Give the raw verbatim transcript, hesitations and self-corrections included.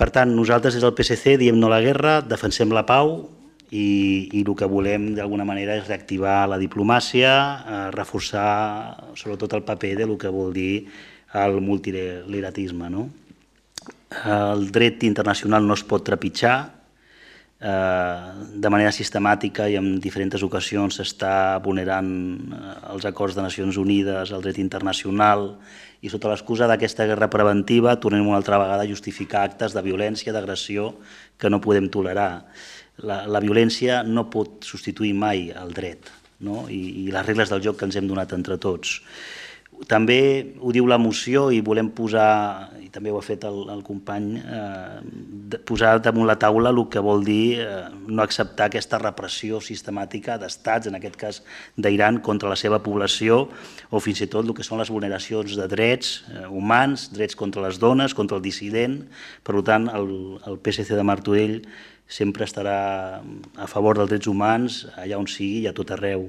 Per tant, nosaltres des del P S C diem no a la guerra, defensem la pau i, i el que volem d'alguna manera és reactivar la diplomàcia, eh, reforçar sobretot el paper de el que vol dir el multilateralisme, no? El dret internacional no es pot trepitjar, de manera sistemàtica i en diferents ocasions s'està vulnerant els acords de Nacions Unides, el dret internacional, i sota l'excusa d'aquesta guerra preventiva tornem una altra vegada a justificar actes de violència, d'agressió que no podem tolerar. La, la violència no pot substituir mai el dret, no? I, i les regles del joc que ens hem donat entre tots. També ho diu la moció i volem posar, i també ho ha fet el, el company, eh, posar damunt la taula el que vol dir eh, no acceptar aquesta repressió sistemàtica d'estats, en aquest cas d'Iran, contra la seva població, o fins i tot el que són les vulneracions de drets eh, humans, drets contra les dones, contra el dissident. Per tant, el, el P S C de Martorell sempre estarà a favor dels drets humans allà on sigui i a tot arreu.